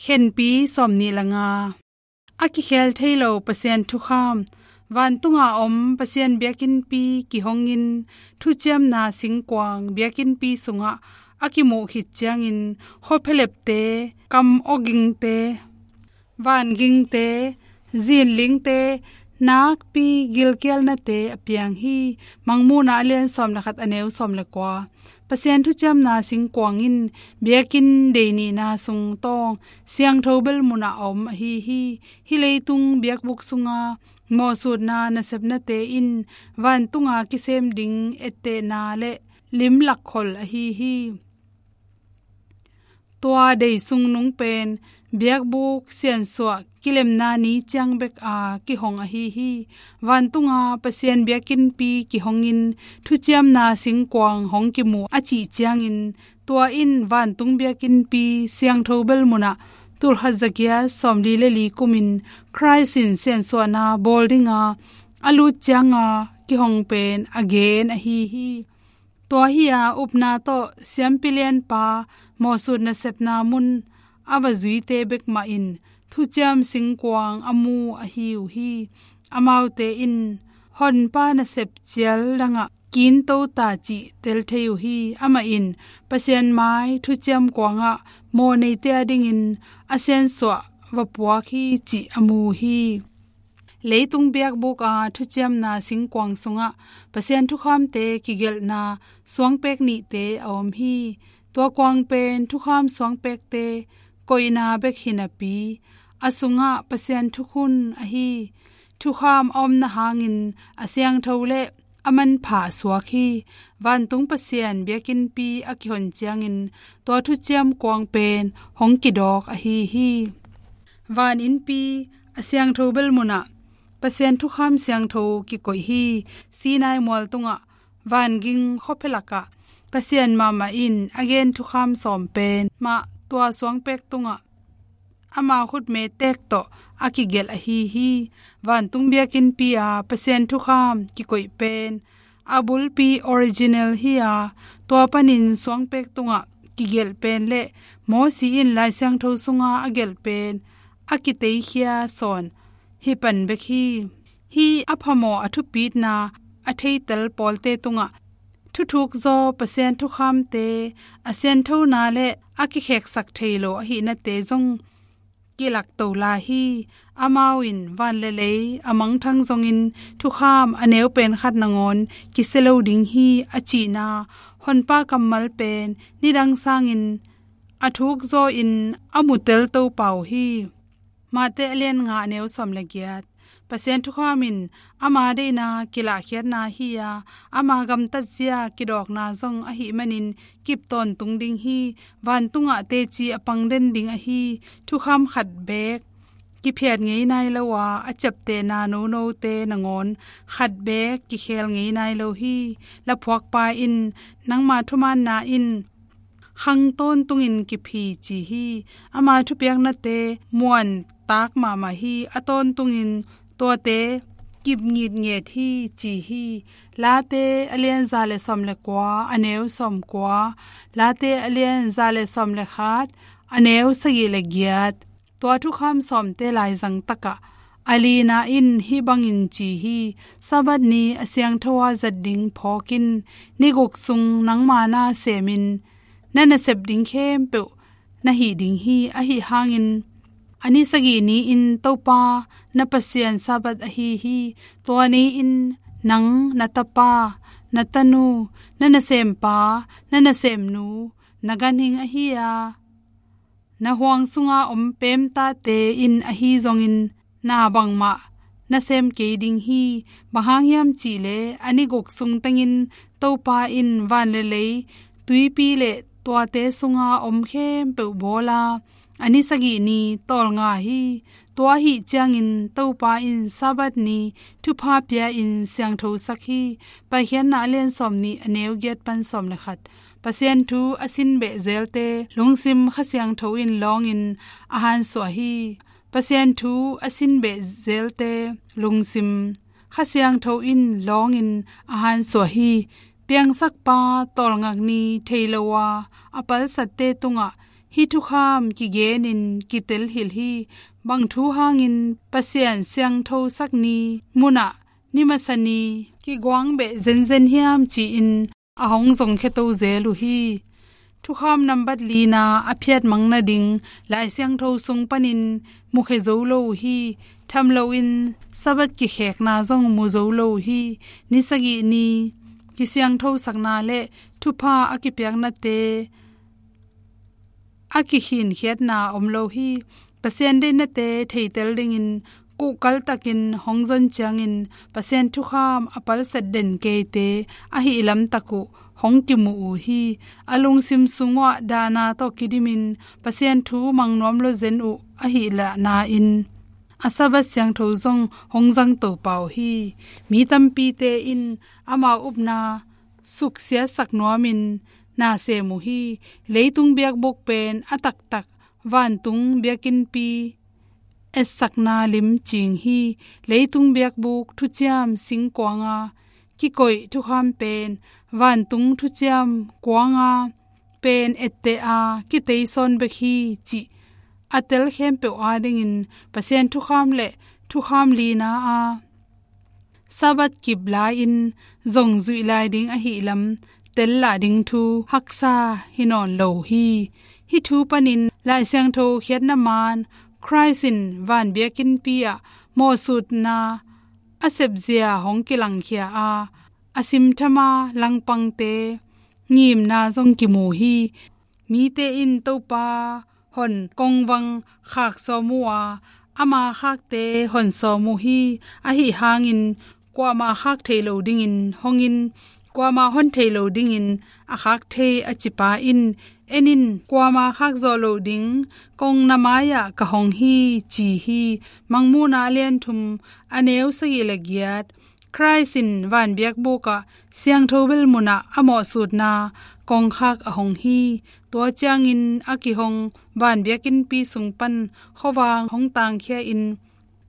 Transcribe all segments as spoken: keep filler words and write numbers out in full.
Khenpi sawmnih le nga. A kikhel thei lo Pasian thukham. Vantunga om Pasian biakinnpi kihongin, thuciamna singkuang biakinnpi sungah a kimuh khit ciangin, khuaphialepte, kam awgingte, vangingte, zinlingte, nakpi gilkialnate a piang hi. Mangmuhna a lian sawm le khat, a neu sawm le kua. Pasian thuciamna singkuang in biakinn dei nihna sung tawng siangtho bel munah a om ahi hi. Hih leitung biakbuk sunga mawhsutna nasepnate in vantunga kisem ding ettehna le limlak khol ahi hi. Tua dei sung nung pen biakbuk siansuah kilemna ni ciang bek a kihong ahi hi. Vantunga Pasian biakinnpi kihongin, thuciamna singkuang hong kimu a cih ciangin, tua in vantung biakinnpi siangtho bel munah tulkhat zagiat sawmli le li kumin Khrist in siansuahna bawl dinga a lut cianga kihong pen a gen ahi hi. Tua hi-a upna tawh siampi lianpa mawhsut nasepna mun a va zuite bek mah in thuciam singkuang a mu ahi uh hi. Amaute in Honpa nasep cial dangah kinto ta cih tel thei uh hi. Amah in Pasian mai thuciam kuangah mawh neite a dingin a siansuah va puak hi cih a mu hi. Leitung biakbuk a thuciamna singkuang sungah Pasian thukhamte kigelhna suangpek nihte a om hi. Tua kuang pen thukham suangpekte koihna bek hi napi, a sungah Pasian thukhun ahi thukham a omna hangin a siangtho le a manpha a suak hi. Vantung Pasian biakinnpi a kihon ciangin tua thuciam kuang pen hong kidawk ahi hi. Van innpi a siangtho bel munah Pasian thukham siangtho kikoih hi. Sinai mual tungah vanging khuaphia lakah Pasian mahmah in a gen thukham sawm pen mah tua suangpek tungah ama khutme tek tawh a kigelh ahi hi. Vantung biakinnpi a Pasian thukham kikoih pen a bulpi original hi-a, tua panin suangpek tungah kigelh pen le Mosi in Lai Siangtho sunga a gelh pen a kiteikhia sawn hi pan bek hi. Hih a phamawh a thupitna a theitel pawlte tungah thuthuk zaw Pasian thukhamte a sianthona le a kikheksak thei lo ahihnate zong kilakto lai hi. Amau in van le lei a mangthang zongin thukham a neu pen khat nangawn kisia lo ding hi a cihna Honpa kammal pen nidang sangin a thuk zaw in a mutel to pau hi. Mate a lian nga, a neu sawm le giat. Pasian thukham in ama deihna kilahkhiatna hi-a, ama gamtatzia kidawkna zong ahih manin kip tawntung ding hi. Vantungah teci a pang den ding ahi thukham khat beek kiphiat ngei nai lo a, a ciaptehna nonote nangawn khat beek kikhel ngei nai lo hi. Laphuakpa in nangma thumaanna in khang tawntungin kiphi ci hi. Ama thupiaknate muan tak mahmah hi. A tawntungin tuate kip ngitnget hi ci hi. Late a lian za le sawm le kua, a neu sawm kua. Late a lian za le sawm le khat, a neu sagih le giat. Tua thukham sawmte laizang takah a lina in hih bangin ci hi. Sabbath ni a siangtho a zat ding phawkin, ni guk sung nangma na semin na nasep ding khempeuh na hih ding hi. Ahi hangin a ni sagih ni in Topa na Pasian Sabbath ahi hi. Tua ni in nang, na tapa, na tanu, na nasempa, na nasemnu, na ganhing ahi-a na huang sunga om pemtate in ahi zongin na bangmah na sem kei ding hi. Bang hang hiam cihleh a ni guk sung tengin Topa in van le lei, tuipi le tuate sunga om khempeuh bawla, a ni sagih ni tawlnga hi. Tua ahih ciangin Topa in Sabbath ni thupha pia-in siangthosak hi. Paikhiatna a lian sawmnih, a neu giat pan sawm le khat. Pasian thu a sin beh zelte lungsim Kha Siangtho in lawngin a hansuah hi. Pasian thu a sin beh zelte lungsim Kha Siangtho in lawngin a hansuah hi. Piangsakpa tawlngak ni thei lo a, a palsatte tungah hih thukham kigenin kitel hilh hi. Bang thu hangin Pasian siangthosak ni munah ni masa ni kiguang beh zenzen hiam ci-in a hong zongkhia to zel uh hi. Thukham nambat lina a phiatmang nading Lai Siangtho sung panin mukhia zo lo uh hi. Tham loin Sabbath kikhekna zong mu zo lo uh hi. Ni sagih ni kisiangthosakna le thupha a kipiaknate a kikhinkhiatna om lo hi. Pasian deihnate theitel dingin kuhkaltakin hong zon ciangin Pasian thukham a palsat den keite ahih lamtak uh hong kimu uh hi. A lungsim sung uhah dahna tawh kidimin Pasian thu mang nuam lo zen uh ahih lahna-in a Sabbath siangtho zong hong zangto pah uh hi. Mi tampite in amau upna suksiatsak nuamin na sem uh hi. Leitung biakbuk pen a taktak vantung biakinnpi etsakna lim cing hi. Leitung biakbuk thuciam singkuanga kikoih thukham pen vantung thuciam kuanga pen etteh a kiteisawn bek hi cih a tel khempeuh adingin Pasian thukham le thukham lina a Sabbath kip lai-in zong zuih lai ding ahih lam tel lah ding thu haksa hi nawn lo hi. Hih thu panin Lai Siangtho khiatna man Christ in van biakinnpi ah mawhsutna a sepzia hong kilangkhia a, a simtham a langpangte ngimna zong kimu hi. Mite in Topa hon kongvang khak sawm uh a, ama khakte hon sawm uh hi. Ahi hangin kuamah khak thei lo dingin hongin, kuamah hon thei lo dingin a khak thei a cipa in, en in, kuamah khak zawh loh ding kong na mai-ah ka hong hi, ci hi. Mangmuhna a lian thum, a neu sagih le giat. Christ in van biakbuk ah siangtho bel munah a mawhsutna kongkhak a hong hi. Tua ciangin a kihong van biakinnpi sung pan khuavang hong tangkhia in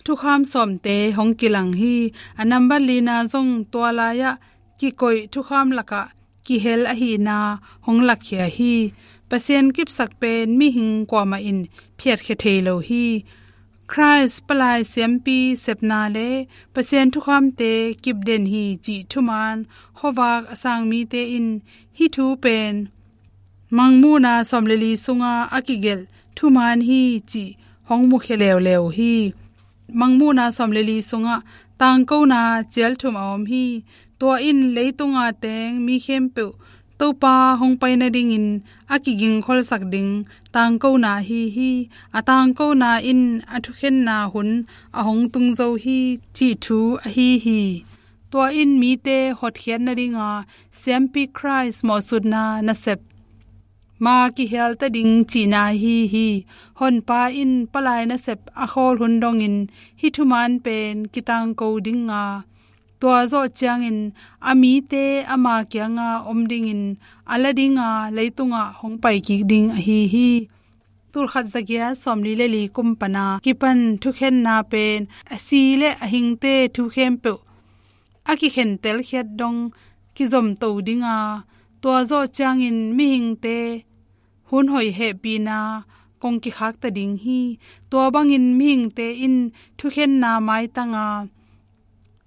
thukham sawmte hong kilang hi. A nambat lina zong tua lai-ah kikoih thukham lakah kihel ahihna hong lakkhia hi. Pasian kipsak pen mihing kuamah in phiatkhia thei lo hi. Christ palai siampi sepna le Pasian thukhamte kipden hi cih thuman khuavak a sang mite in hih thu pen Mangmuhna sawm le li sunga a kigelh thuman hi cih hong mukhia leuleu hi. Mangmuhna sawm le li sungah tangkona cial thum a om hi. Tua in leitunga teng mi khempeuh Topa hong pai nadingin a kigingkholsak ding tangkona ahi hi. A tangkona in a thukhenna hun a hong tung zo hi cih thu ahi hi. Tua in mite hotkhiat nadinga siampi Christ mawhsutna nasep ma kihialta ding cihna ahi hi. Honpa in palai nasep a khawl hun dongin hih thuman pen kitangko dinga, tua zawh ciangin a mite ama kianga om dingin a la dinga leitungah hong paikik ding ahi hi. Tulkhat zagiat sawmli le li kum pana kipan thukhenna pen a si le a hingte thu khempeuh a kikhentelkhiat dong kizomto dinga, tua zawh ciangin mihingte hun hoih hehpihna kong kikhakta ding hi. Tua bangin mihingte in thukhenna maitanga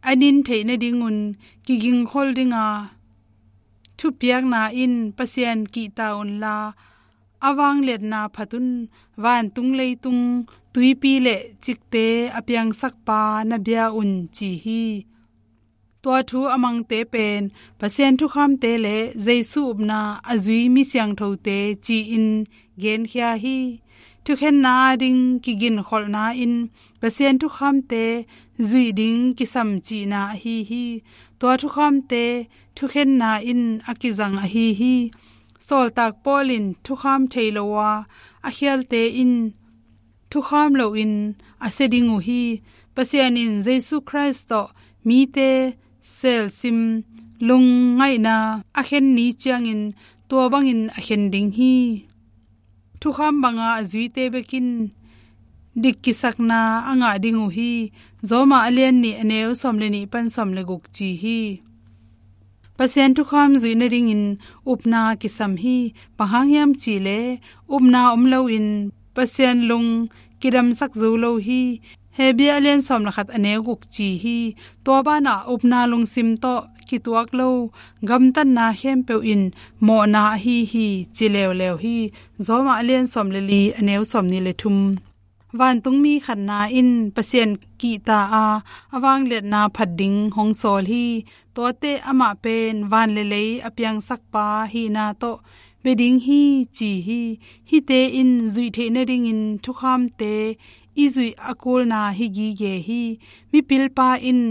a nin theih nadingun kigingkhol dinga, thupiakna in Pasian kihta unla, a vangliatna phat un, vantung leitung, tuipi le cikte a piangsakpa na bia un ci hi. Tua thu a mangte pen Pasian thukhamte le Jesu upna a zui mi siangthote ci-in genkhia hi. Thukhenna ading kiginkholhna in Pasian thukhamte zuih ding kisam cihna ahi hi. Tua thukhamte thukhenna in a kizang ahi hi. Sawltak Paul in thukham thei lo a, a khialte in thukham loin a sia ding uh hi. Pasian in Jesu Christ tawh mite selsim lungngaihna a khen ni ciangin tua bangin a khen ding hi. Thukham banga a zuite bekin dik kisakna a ngah ding uh hi. Roma a lian nih a neu sawm le nih pan sawm le guk ci hi. Pasian thukham zuih nadingin upna kisam hi. Bang hang hiam cih leh upna om loin Pasian lung kidamsak zo lo hi. Hebru a lian sawm le khat a neu guk ci hi. Tua banah upna lungsim tawh kituak lo gamtatna khempeuh in mawhna ahi hi, ci leuleu hi. Rom a lian sawm le li a neu sawmnih le thum. Vantungmi khatna in Pasian kihta a, a vangliatna phat ding hong sawl hi. Tuate amah pen van le lei a piangsakpa hihna tawh bia ding hi, ci hi. Hihte in zuih theih nadingin thukhamte i zuih a kulna hi gige hi. Mipilpa in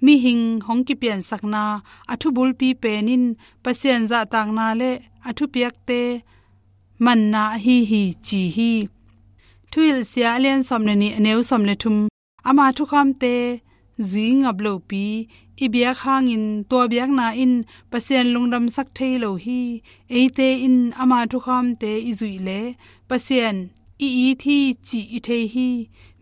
mihing hong kipiansakna a thubulpi pen in Pasian zahtakna le a thupiakte manna ahi hi, ci hi. Thuhilhsia a lian sawm le nih a neu sawm le thum. Ama thukhamte zui ngap lopi i biak hangin tua biakna in Pasian lungdamsak thei lo hi. Eite in ama thukhamte i zuih leh Pasian i it hi cih i thei hi.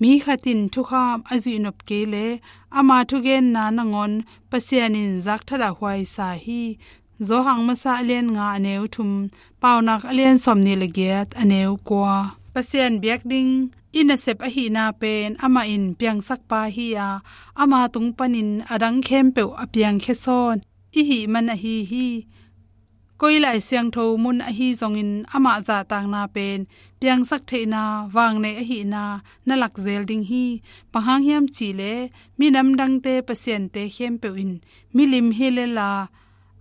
Mi khat in thukham a zuih nop kei leh ama thugenna nangawn Pasian in zak thadah huaisa hi. Johan masa a lian nga a neu thum, Paunak a lian sawmnih le giat a neu kua. Pasian biak ding i nasep ahihna pen amah in piangsakpa hi a, ama tung panin a dang khempeuh a piangkhia sawn i hih man ahi hi. Koi lai siangtho mun ahi zongin amah zahtakna pen piangsak theihna vangnei ahihna na lak zel ding hi. Bang hang hiam cih leh minam dangte pasiante khempeuh in milim hi lel a,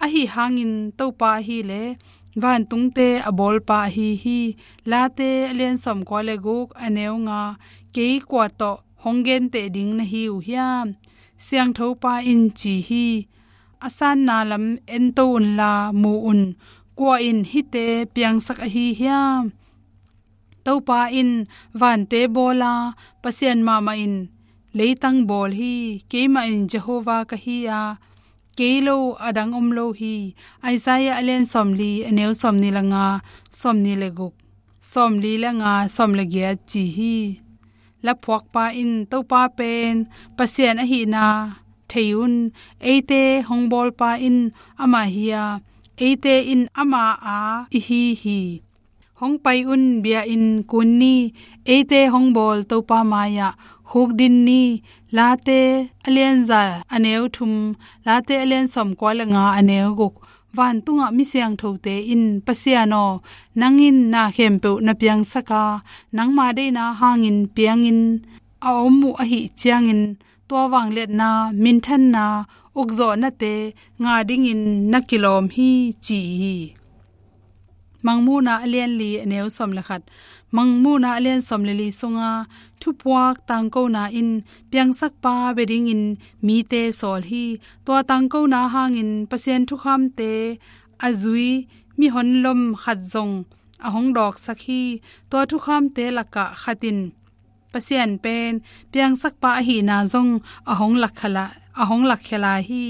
ahi hangin Topa ahi leh vantungte a bawlpa ahi hi. Late a lian sawmkua le guk a neu nga. Kei kua tawh hong genteh ding na hi uh hiam? Siangthopa in ci hi. A sanna lam ento unla mu un. Kua in hihte piangsak ahi hiam? Topa in vante bawl a, Pasian mahmah in leitang bawl hi. Keimah in Jehovah ka hi a, kei lo a dang om lo hi. Isaiah a lian sawmli a neu sawmnih le nga, sawmnih le guk, sawmli le nga, sawm le giat ci hi. Laphuakpa in Topa pen Pasian ahihna thei un. Eite hong bawlpa in amah hi a, eite in ama a i hi hi. Hong pai un, bia in kun ni. Eite hong bawl Topa mai-ah khuk din ni. Late a lian za a neu thum, Late a lian sawmkua le nga a neu guk. Vantungah mi siangthote in, Pasian aw, nang in na khempeuh na piangsak a, nangma deihna hangin piangin a om uh ahih ciangin tua vangliatna, minthanna, ukzawhnate ngah dingin na kilawm hi, ci hi. Mangmuhna a lian li a neu sawm le khat. Mangmuhna a lian sawm le li sunga thupuak tangkona in piangsakpa bia dingin mite sawl hi. Tua tangkona hangin Pasian thukhamte a zui mihon lom khat zong a hong dawksak hi. Tua thukhamte lakah khat in Pasian pen piangsakpa ahihna zong a hong lakkhia lai, a hong lakkhia lai hi.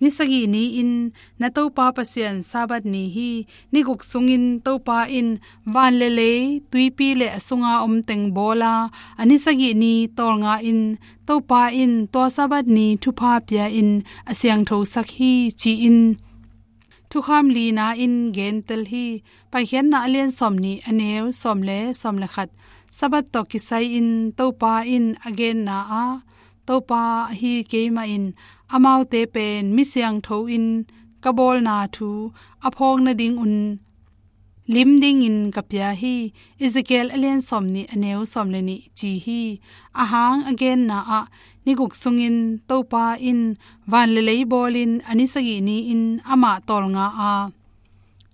Ni sagih ni-in na Topa Pasian Sabbath ni hi. Ni guk sungin Topa in van le lei, tuipi le a sunga om teng bawl a, a ni sagih ni tawlnga in Topa in tua Sabbath ni thupha pia in a siangthosak hi, ci-in thukham lina in gentel hi. Paikhiatna a lian sawmnih a neu sawm le sawm le khat. Sabbath tawh kisai-in Topa in a genna ah, Topa ahi keimah in amaute pen mi siangtho in ka bawlna thu a phawk nadingun lim dingin ka pia hi. Ezekiel a lian sawmnih a neu sawm le nih ci hi. A hang a genna ah ni guk sungin Topa in van le lei bawlin a ni sagih ni-in amah tawlnga a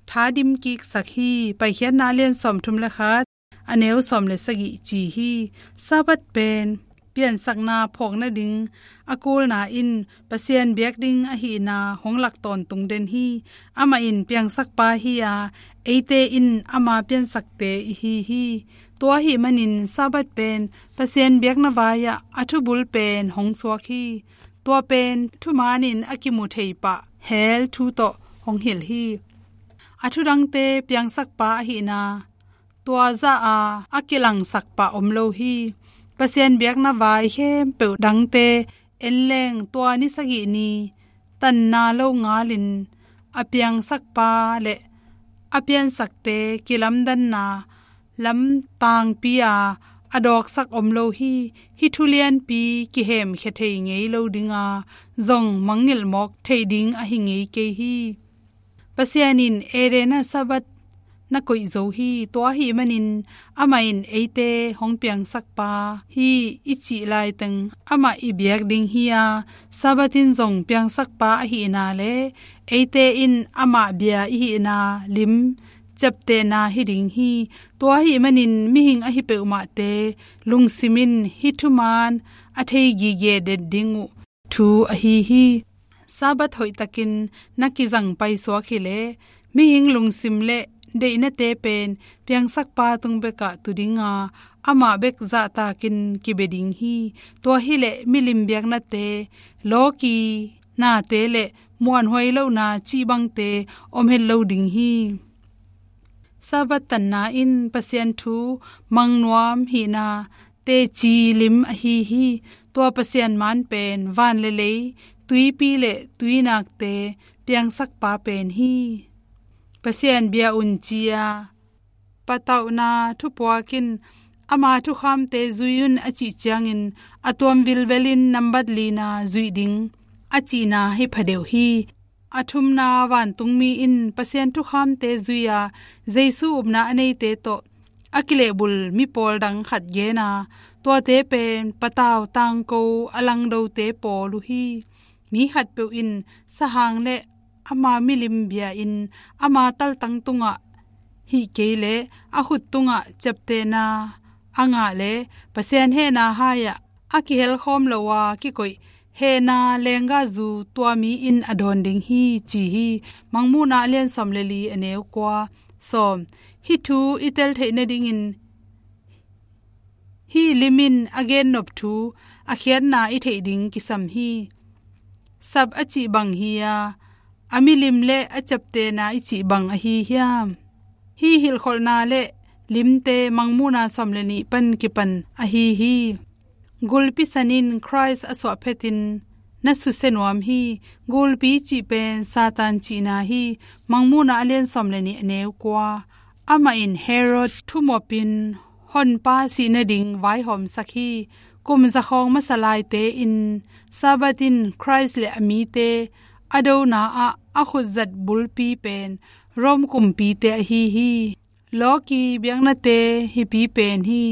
tha dim kiksak hi. Paikhiatna a lian sawmthum le khat a neu sawm le sagih ci hi. Sabbath pen piansakna phawk nading a kulna in Pasian biak ding ahihna hong lak tawntung den hi. Amah in piangsakpa hi a, eite in ama piansakte i hi hi. Tua ahih manin Sabbath pen Pasian biakna vai-ah a thubul pen hong suak hi. Tua pen thuman in a kimu thei pah hell thu tawh hong hilh hi. A thudangte piangsakpa ahihna tua zah a a kilangsak pah om lo hi. Pasian biakna vai khempeuh dangte en leng tua ni sagih ni tanna lo ngalin a piangsakpa le a piansakte kilamdanna lam tangpi a a dawksak om lo hi. Hih thu lianpi kihemkhia thei ngei lo dinga zong mangngilh mawk theih ding ahi ngei kei hi. Pasian in Eden ah Sabbath na koih zo hi. Tua ahih manin amah in eite hong piangsakpa hi i cih laiteng amah i biak ding hi a, Sabbath in zong piangsakpa ahihna le eite in amah bia i hihna lim ciaptehna hi ding hi. Tua ahih manin mihing ahi peuhmahte lungsimin hih thuman a thei gige det ding uh thu ahi hi. Sabbath hoihtakin na kizang paisuak hileh mihing lungsim le deihnate pen piangsakpa tung bekah tu dinga amah bek zahtakin kibia ding hi. Tua hileh milim biaknate, lawki nate le muanhuai lohna cih bangte om het lo ding hi. Sabbath tanna in Pasian thu mang nuam hihna teci lim ahi hi. Tua Pasian man pen van le lei, tuipi le tuinakte piangsakpa pen hi. Pasian bia un ci a patauhna thupuak in ama thukhamte zui un a cih ciangin a tuam vilvelin nambat lina zuih ding a cihna hi phadeuh hi. A thumna vantungmi in Pasian thukhamte zui a Jesu upna a neite tawh a kilehbul mipawl dang khat gen a, tuate pen patau tangko a langdote pawl uh hi. Mi khatpeuh in sahang le ama milim bia in ama taltang tungah hih kei le a khut tungah ciaptehna a ngah le Pasian hehna hai-ah a kihelkhawm lo a kikoih hehna lenggahzu tua mi in a dawn ding hi ci hi. Mangmuhna a lian sawm le li a neu kua. Sawm. Hih thu i tel theih nadingin hih lim in a gennop thu a khiatna i theih ding kisam hi. Sap a cih bang hi a, a milim le a ciaptehna i cih bang ahi hiam? Hih hilhkholhna le limte Mangmuhna sawm le nih pan kipan ahi hi. Gulpi san in Khrist a suah phetin na susia nuam hi. Gulpi cih pen Satan cihna hi. Mangmuhna a lian sawm le nih a neu kua. Amah in Herod thumopin honpa sih nading vaihawmsak hi. Kum zakhawng masa laite in Sabbath in Khrist le a mite a dona ah a khutzat bulpi pen Rome kumpite ahi hi. Lawki biaknate hipi pen hi.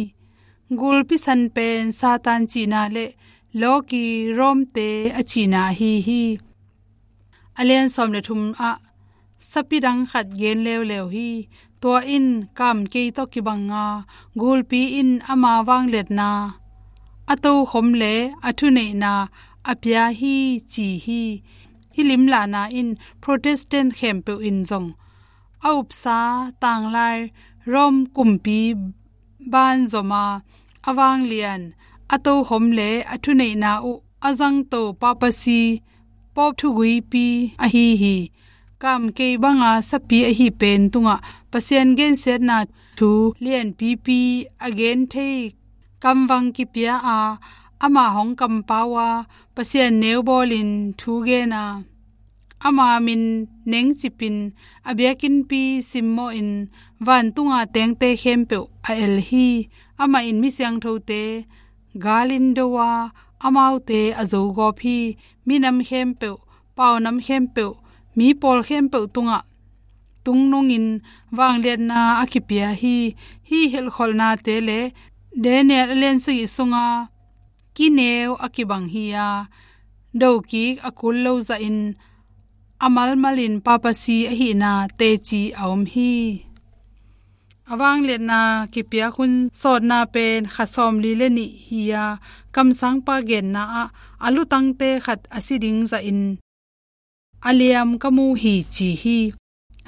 Gulpi san pen Satan cihna le lawki Rome-te a cihna ahi hi. A lian sawm le thum ah sapi dang khat gen leuleu hi. Tua in kamkei tawh kibang a, gulpi in ama vangliatna a tokhom le a thuneihna a pia hi ci hi. Hih limlahna in Protestant khempeuh in zong a upsa tanglai Rome kumpi banzom a, a vanglian, a tokhom le a thuneihna uh a zangto papacy, pope thuguipi ahi hi. Kamkei banga sapi ahi pen tungah Pasian gensiatna thu lianpipi a gen thei kamvang kipia a, amah hong kampau a, Pasian neu bawlin thu gen a, ama min nengcipin a biakinnpi simmawhin vantunga tengte khempeuh a el hi. Amah in mi siangthote galin do a, amaute a zogawp hi. Minam khempeuh, paunam khempeuh, mi pawl khempeuh tungah tungnungin vangliatna a kipia hi. Hih hilhkholhnate le Daniel a lian sagih sunga kineu a kibang hi a, dokik a kul lo zahin a malmalin papacy ahihna teci a om hi. A vangliatna kipiak hun sawtna pen kha sawmli le nih hi a, kamsangpa genna ah a lutangte khat a si ding zahin a liam ka mu hi ci hi.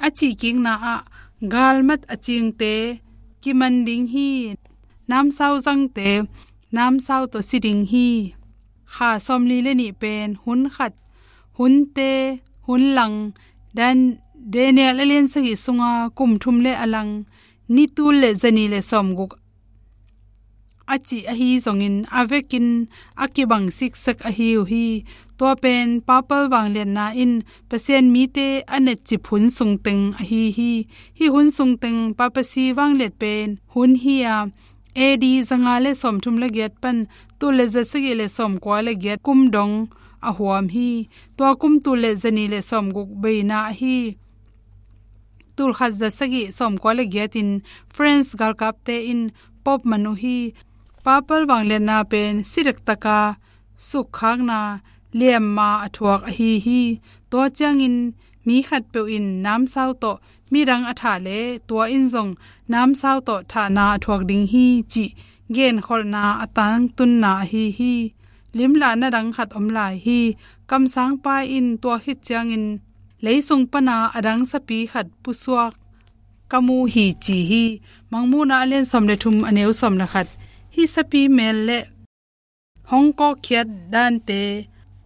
A cihkikna ah galmat a cingte kiman ding hi. Namsau zangte namsau tawh si ding hi. Kha sawmli le nih pen hun khat, hunte, hun lang, Dan, Daniel a lian sagih sunga kum thum le a lang, ni tul le zanih le sawmguk a cih ahi zongin a vekin a kibang siksak ahi uh hi. Tua pen papal vangliatna in Pasian mite a netcip hun sungteng ahi hi. Hih hun sungteng papacy vangliat pen hun hi a, A D zanga le sawmthum le giat pan tul le zasagih le sawmkua le giat kum dong a huam hi. Tua kum tul le zanih le sawmguk beina ahi. Tul khat zasagih sawmkua le giatin French galkapte in Pope man uh hi. Papal vangliatna pen si dektaka sukkhakna liamma a thuak ahi hi. Tua ciangin mi khatpeuh in namsau tawh midang a thah le tua in zong namsau tawh thahna a thuak ding hi cih genkholhna a tangtunna ahi hi. Limlahna dang khat om lai hi. Kamsangpa in tua khit ciangin leisung pana a dang sapi khat pusuak ka mu hi ci hi. Mangmuhna a lian sawm le thum a neu sawm le khat. Hih sapi mel le hong kawkkhiat dante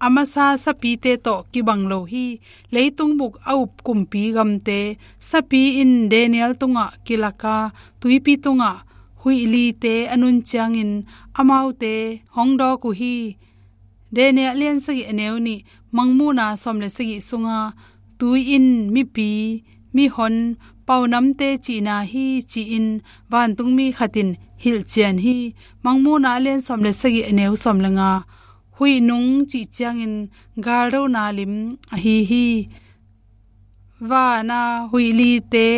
a masa sapite tawh kibang lo hi. Leitung bup a up kumpi gamte sapi in Daniel tungah kilaka tuipi tungah huih lite a nun ciangin amaute hong dawk uh hi. Daniel lian sagih a neu nih, Mangmuhna sawm le sagih sunga tui in mipi, mihon, paunamte cihna hi ci-in vantungmi khatin hilhcian hi. Mangmuhna a lian sawm le sagih a neu sawm le nga, huih nung cih ciangin galdona lim ahi hi. Vana huih lite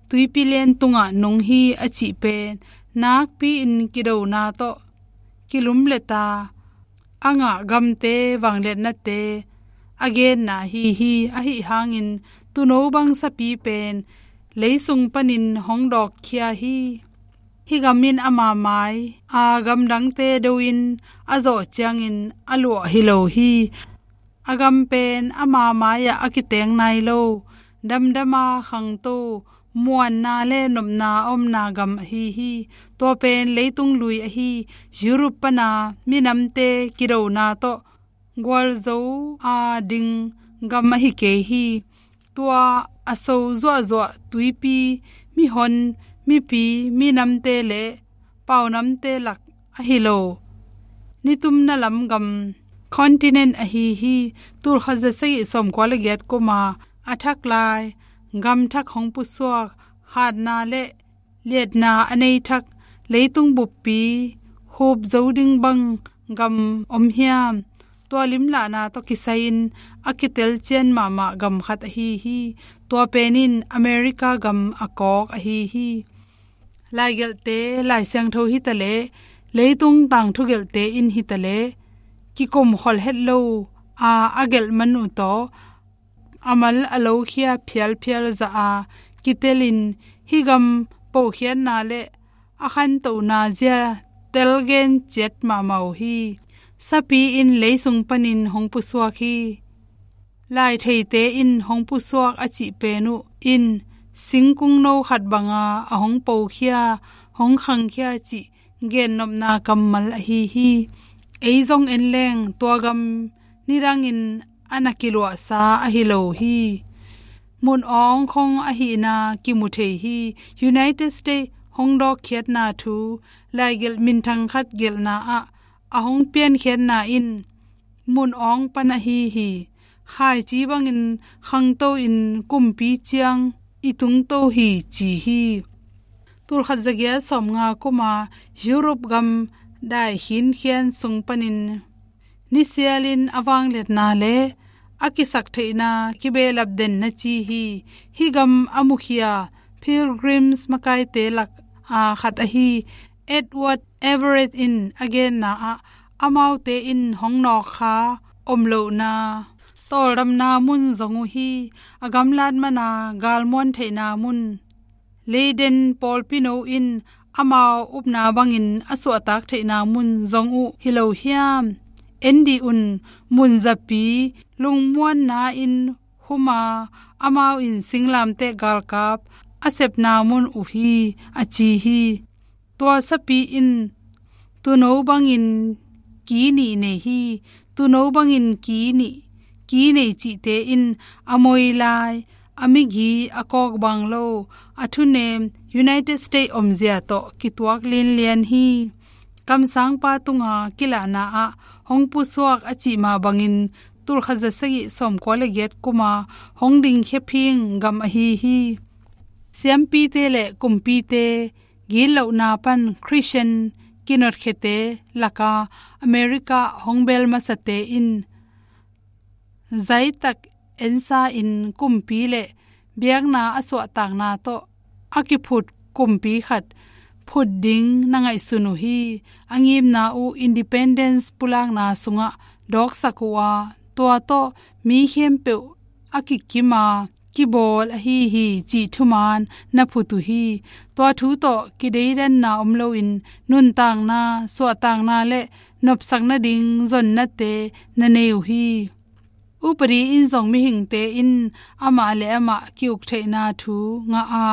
tuipi lian tungah nung hi a cih pen nakpi-in kidona tawh kilumleta a ngah gamte vangliatnate a genna ahi hi. Ahi hangin tuuno bang sapi pen leisung panin hong dawkkhia hi. Hih gam in ama mai a gamdangte do-in a zawh ciangin a luah hi lo hi. A gam pen ama mai-ah a kiteng nai lo, damdama khangto, muanna le nopna a omna gam ahi hi. Tua pen leitung lui ahi Europe pana minamte kidona tawh gualzo a ding gam ahi kei hi. Tua a so zuahzuah tuipi, mihon, mipi, minamte le paunamte lak ahi lo nitumna lam gam continent ahi hi. Tul khat za sagih sawmkua le giat kuma a thak lai gam thak hong pusuak, hatna le liatna a nei thak leitung buppi hup zo ding bang gam om hiam? Tua limlahna tawh kisai-in a kitelcian mahmah gam khat ahi hi. Tua pen in America gam a kawk ahi hi. Laigelhte, Lai Siangtho hitaleh, leitung tangthu gelhte in hitaleh, kikum kholh het lo a, a gelh man uh tawh a mal a lokhia phialphial zah a kitelin hih gam pokhiatna le a khantohna zia telgen ciat mahmah uh hi. Sapi in leisung panin hong pusuak hi. Laitheite in hong pusuak a cih pen uh in singkung no khat banga a hong pokhia, hong khangkhia cih gennopna kammal ahi hi. Ei zong en leng tua gam nidangin a na kiluahsa ahi lo hi. Mun awng khong ahihna kimu thei hi. United States hong dawkkhiatna thu laigelh minthang khat gelhna ah a hong piankhiatna in mun awng pan ahi hi. Khaici bangin khangto in kumpi ciang i tungto hi ci hi. Tul khat za giat sawmnga kuma Europe gam dai khinkhian sung panin nisialin a vangliatna le a kisaktheihna kibehlap den na ci hi. Hih gam a mukhia Pilgrims makaite lak a khat ahi Edward Everett in a genna ah amaute in hong nawkkha om lohna tawldamna mun zong uh hi. A gamlat mana galmuan theihna mun, Leiden pawlpi no in amau upna bangin a suahtak theihna mun zong uh hi lo hiam? En dih un, mun zapi lungmuanna in huma amau in singlamteh galkap a sepna mun uh hi a ci hi. Tua sapi in tuuno bangin ki nih nei hi. Tuuno bangin ki nih, ki nei cihte in a moi lai, a migi a kawk bang lo, a thunem United States omzia tawh kituak linlian hi. Kamsangpa tunga kilahna ah hong pusuak a cih mah bangin tulkhat za sagih sawmkua le giat kuma hong dingkhia phing gam ahi hi. Siampite le kumpite gitlohna pan Christian kinotkhiate laka America hong bel masate in zaitak ensa in kumpi le biakna a suahtakna tawh a kiphut kumpi khat phut ding na ngaihsun uh hi. A ngimna uh independence pulakna sungah dawksak uh a, tua tawh mi khempeuh a kikima kibawl ahi hi cih thuman na phut uh hi. Tua thu tawh kideidanna om loin nuntakna, suahtakna le nopsak nading zonnate na nei uh hi. Upadi in zong mihingte in amah le amah ki-uk theihna thu ngah a,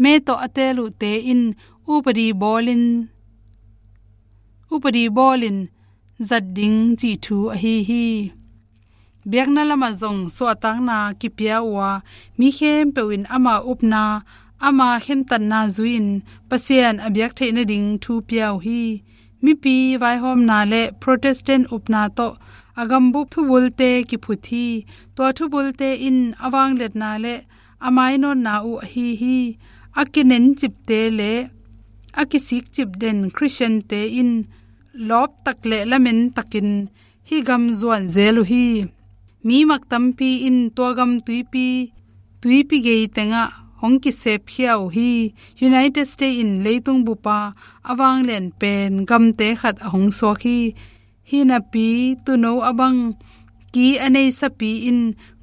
me tawh a teel uhte in upadi bawlin, upadi bawlin zat ding cih thu ahi hi. Biakna lamah zong suahtakna kipia uh a, mi khempeuh in ama upna, ama khentatna zui-in Pasian a biak theih nading thu pia uh hi. Mipi vaihawmna le Protestant upna tawh a gambup thubulte kiphut hi. Tua thubulte in a vangliatna le a mainawtna uh ahi hi. A kinencipte le a kisikcip den Christiante in lawptak le lamenttakin hih gam zuan zel uh hi. Mi mak tampi in tua gam tuipi, tuipi gei tengah hong kisepkhia uh hi. United States in leitung bupa a vanglian pen gamte khat a hong suak hi. Hih napi tuuno a bang ki a nei sapi in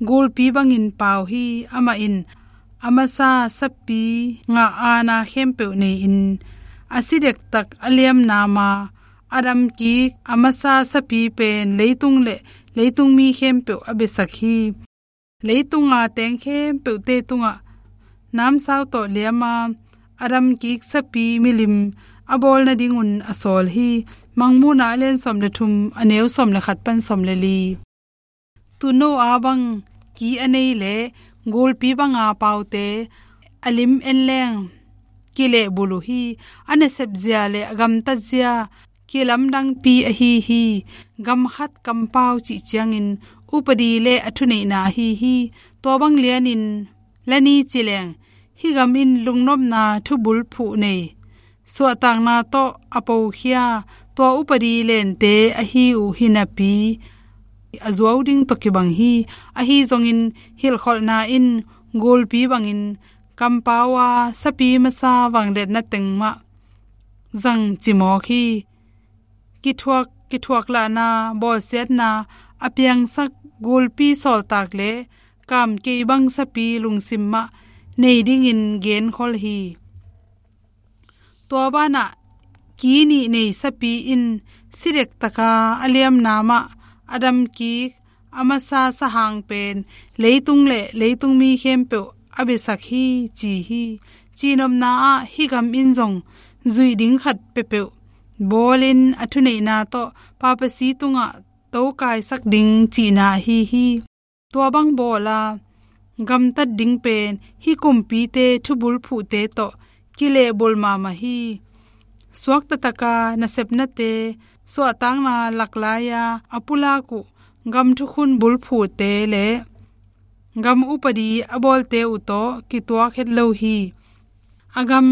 gulpi bangin pau hi. Amah in a masa sapi ngah aana khempeuh nei-in a si dektak a liamna ma a damkik a masa sapi pen leitung le leitung mi khempeuh a biasak hi. Leitunga teng khempeuhte tungah namsau tawh liama a damkik sapi milim a bawl nadingun a sawl hi. Mangmuhna a lian sawm le thum, a neu sawm le khat pan sawm le li. Tuuno a bang ki a nei le gulpi banga paute a lim en leng kilehbulh uh hi. A nasepzia le a gamtatzia kilamdangpi ahi hi. Gam khat kampau cih ciangin upadi le a thuneihna ahi hi. Tua bang lianin la ni ci leng hih gam in lungnopna thubulphuh nei suahtakna tawh a pokhia tua upadi lente ahi uh hi napi a zuau ding tawh kibang hi. Ahi zongin hilhkholhna in gulpi bangin kampau a sapi masa vangliatna teng mah zang cimawk hi. Kithuak, kithuaklahna, bawlsiatna a piangsak gulpi sawltak le kamkei bang sapi lungsim mah nei dingin genkhol hi. Tua banah ki nih nei sapi in si dektaka a liamna mah a damkik a masa sahang pen leitung le leitung mi khempeuh a biasak hi ci hi. Cihnopna ah hih gam in zong zuih ding khat peuhpeuh bawlin a thuneihna tawh papasi tungah tokaisak ding cihna ahi hi. Tua bang bawla gamtat ding pen hih kumpite thubulphuhte tawh kilehbulh mahmah hi. Suaktataka nasepnate suahtakna laklai-a a pulak uh gam thukhun bulphuhte le gam upadi a bawlte uh tawh kituak het lo hi. A gam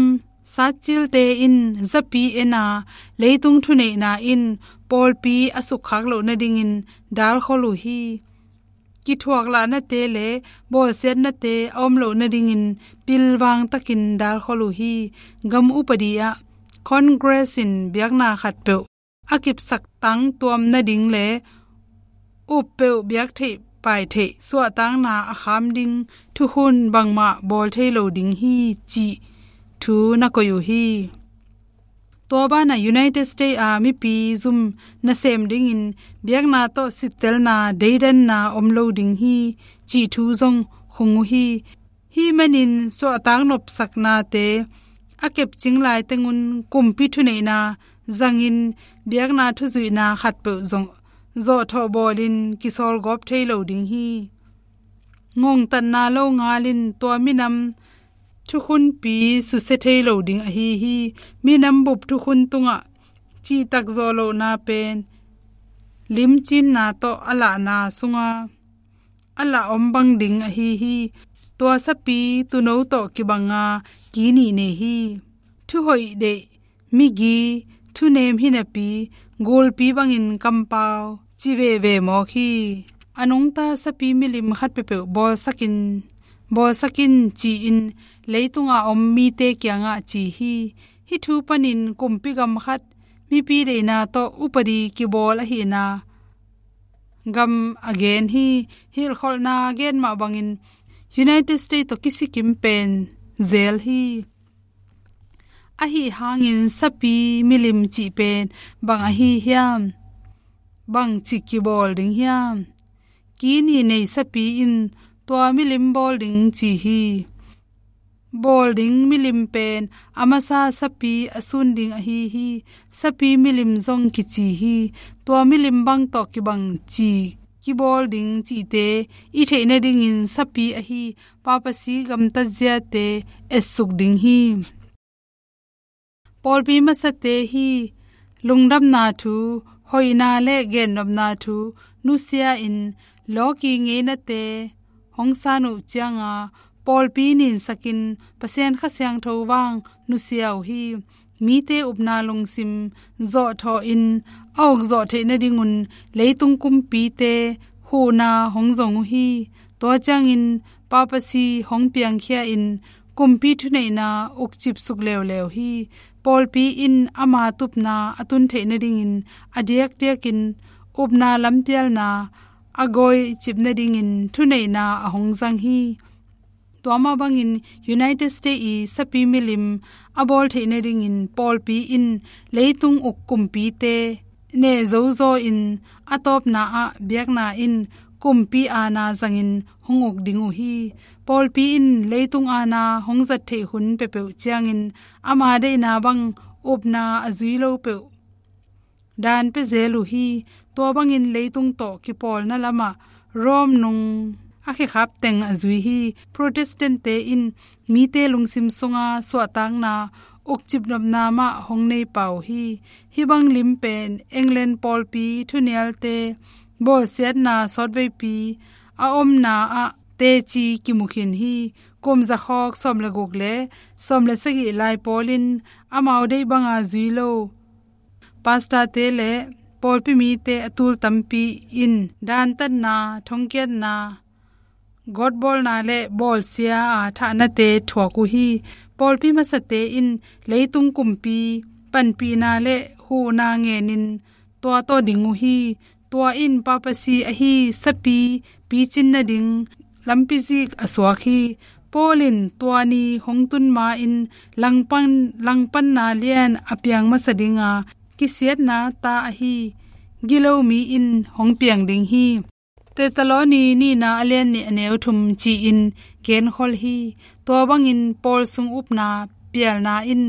satcilte in zapi ena leitung thuneihna in pawlpi a sukkhak loh nadingin dalkhol uh hi. Kithuaklahnate le bawlsiatnate a om loh nadingin pilvangtakin dalkhol uh hi. Gam upadi ah Congress in biakna khatpeuh a kipsak tangtuam nading le uppeuh biak theih pai theih suahtakna a kham ding thukhun bangmah bawl thei lo ding hi cih thu na koih uh hi. Tua banah United States a mipi zum nasem dingin biakna tawh sittelna deidanna om lo ding hi cih thu zong khung uh hi. Hih manin suahtak nopsaknate a kepcing laitengun kumpi thuneihna zangin biakna thuzuihna khatpeuh zong zawhthawh bawlin kisawlgawp thei lo ding hi. Ngongtatna lo ngalin tua minam thukhunpi susia thei lo ding ahi hi. Minam bup thukhun tungah cihtak zawh lohna pen limcinna tawh a lahna sunga a lah om bang ding ahi hi. Tua sapi tuuno tawh kibanga ki nih nei hi. Thuhoih deih, migi, thunem hi napi, gulpi bangin kampau ci veve mawk hi. A nungta sapi milim khat peuhpeuh bawlsak in, bawlsak in ci-in leitunga om mite kiangah ci hi. Hih thu panin kumpi gam khat mipi deihna tawh upadi kibawl ahihna gam a gen hi. Hilhkholhna gen mah bangin United States tawh kisikim pen zel hi. Ahi hangin sapi milim cih pen bang ahi hiam? Bang ci kibawl ding hiam? Ki nih nei sapi in tua milim bawl ding ci hi. Bawl ding milim pen a masa sapi a sun ding ahi hi. Sapi milim zong kici hi. Tua milim bang tawh kibang ci kibawl ding cihte i theih nadingin sapi ahi papasi gamtat ziate etsuk ding hi. Pawlpi masate hi. Lungdamna thu, hoihna le gennopna thu nusia in lawki ngeinate hong san uh cianga pawlpi ninsakin Pasian Kha Siangtho vang nusia uh hi. Mite upna lungsim zawhthawh in a uk zawh theih nadingun leitung kumpite huhna hong zong uh hi. Tua ciangin papasi hong piangkhia in kumpi thuneihna ukcipsuk leuleu hi. Pawlpi in ama tupna a tun theih nadingin a diakdiakin upna lampialna a gawicip nadingin thuneihna a hong zang hi. Tua mah bangin United States i sapi milim a bawl theih nadingin pawlpi in leitung uk kumpite nehzozaw in a tawpna ah biakna in kumpi aana zangin hong uk ding uh hi. Pawlpi in leitung aana hong zat theih hun peuhpeuh ciangin ama deihna bang upna a zui lo peuh dan pia zel uh hi. Tua bangin leitung tawh kipawlna lamah Rome nung a khekhap teng a zui hi. Protestant-te in mite lungsim sunga suahtakna ukcipnopna mah hong nei pah uh hi. Hih bang lim pen England pawlpi thunialte bawlsiatna sawtveipi a omna ah teci kimu khin hi. Kum zakhawk sawm le guk le sawm le sagih lai pawlin amau deih banga zui lo pastor-te le pawlpi mite a tul tampi in dantatna, thongkiatna, gawtbawlna le bawlsia a thahnate thuak uh hi. Pawlpi masate in leitung kumpi panpihna le huhna ngenin tua tawh ding uh hi. Tua in papasi ahi sapi picin nading lampi zik a suak hi. Paul in tua ni hong tun ma-in langpan, langpanna lian a piang masa dinga kisiatna ta ahi gilo mi in hong piang ding hi. Thessaloni nihna a lian nih a neu thum ci-in genkhol hi. Tua bangin Paul sung upna pialna in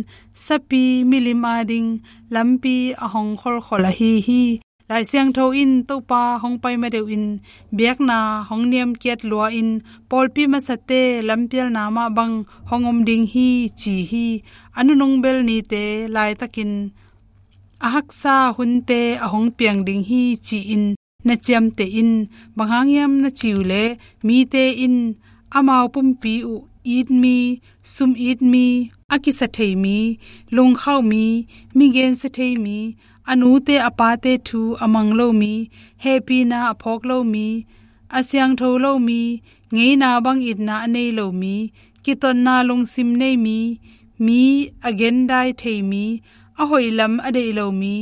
sapi milim ading lampi a hong kholkhol ahi hi. Lai Siangtho in Topa hong pai ma deuhin biakna hong niamkiat lua-in pawlpi masate lampialna mah bang hong om ding hi ci hi. A nunung bel nite laitakin a haksa hunte a hong piang ding hi ci-in na ciamteh in. Bang hang hiam na ci uh leh mite in amau pumpi uh itmi, sum itmi, a kisa theimi, lungkhauhmi, mi gensia theimi, a nute a pate thu a mang lomi, hehpihna a phawk lomi, a siangtho lomi, ngeina bang itna a nei lomi, kitotna lungsim neimi, mi a gendai theimi, a hoih lam a deih lomi,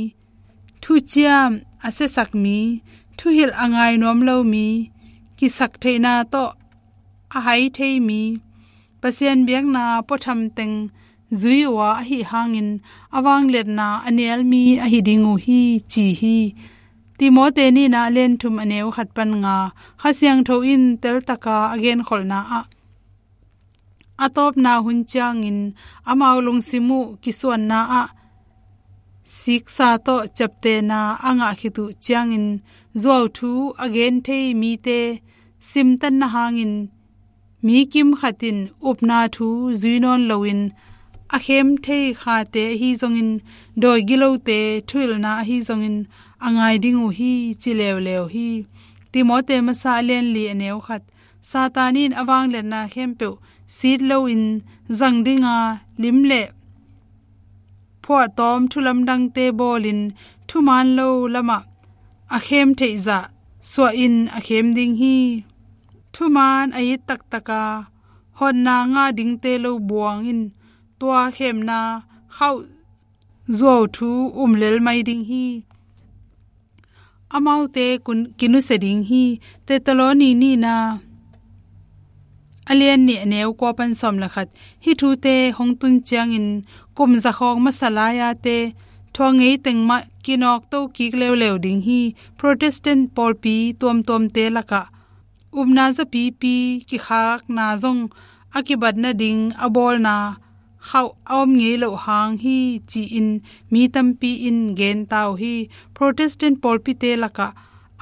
thuciam a siasak mi, thuhilh a ngai nuam lo mi, kisaktheihna tawh a hai thei mi, Pasian biakna puatham teng zui uh a, ahi hangin a vangliatna a nial mi ahi ding uh hi, ci hi. Timote nihna a lian thum a neu khat pan nga. Kha Siangtho in teltaka a genkholhna ah a tawpna hun ciangin amau lungsim uh kisuanna ah siksa tawh ciaptehna a ngah khit uh ciangin zuauthu a gen thei mite simtanna hangin mi kim khat in upna thu zui nawn loin a khem thei khate ahi zongin, dawi gilote thuhilhna ahi zongin a ngai ding uh hi, ci leuleu hi. Timote masa a lian li a neu khat. Satan in a vangliatna khempeuh sit loin zang dinga, lim le phuahtawm thulamdangte bawlin, thuman lo lamah a khem theih zah suahin a khem ding hi. Thuman a it taktaka hotna ngah dingte lo buangin, tua khemna khauh zuau thu um lel mai ding hi. Amaute kun-, kinusia ding hi. Thesaloni nihna a lian nih a neu kua pan sawm le khat. Hih thute hong tun ciangin kum zakhawng masa lai-ate thuak ngei teng mah kinawkto kik leuleu ding hi. Protestant pawlpi tuamtuamte lakah upna zapipi kikhakna zong a kibat nading a bawlna khauh a om ngei loh hang hi, ci-in mi tampi in gen ta uh hi. Protestant pawlpite lakah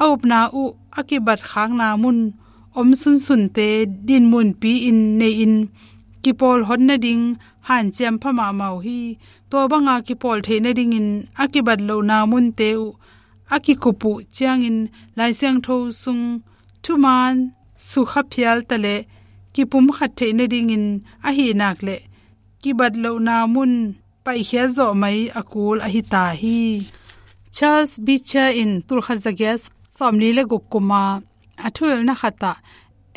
a upna uh a kibat khakna mun om sunsunte dinmunpi-in nei-in kipawl hot nading hanciam pha mahmah uh hi. Tua banga kipawl theih nadingin a kibat lohna munte uh a kikup uh ciangin Lai Siangtho sung thuman sukha phial ta leh kipumkhat theih nadingin ahih nak leh kibat lohna mun paihkhiat zawh mai a kul ahi ta hi. Charles Beecher in tulkhat zagiat sawmli le guk kuma a thuhilhna khatah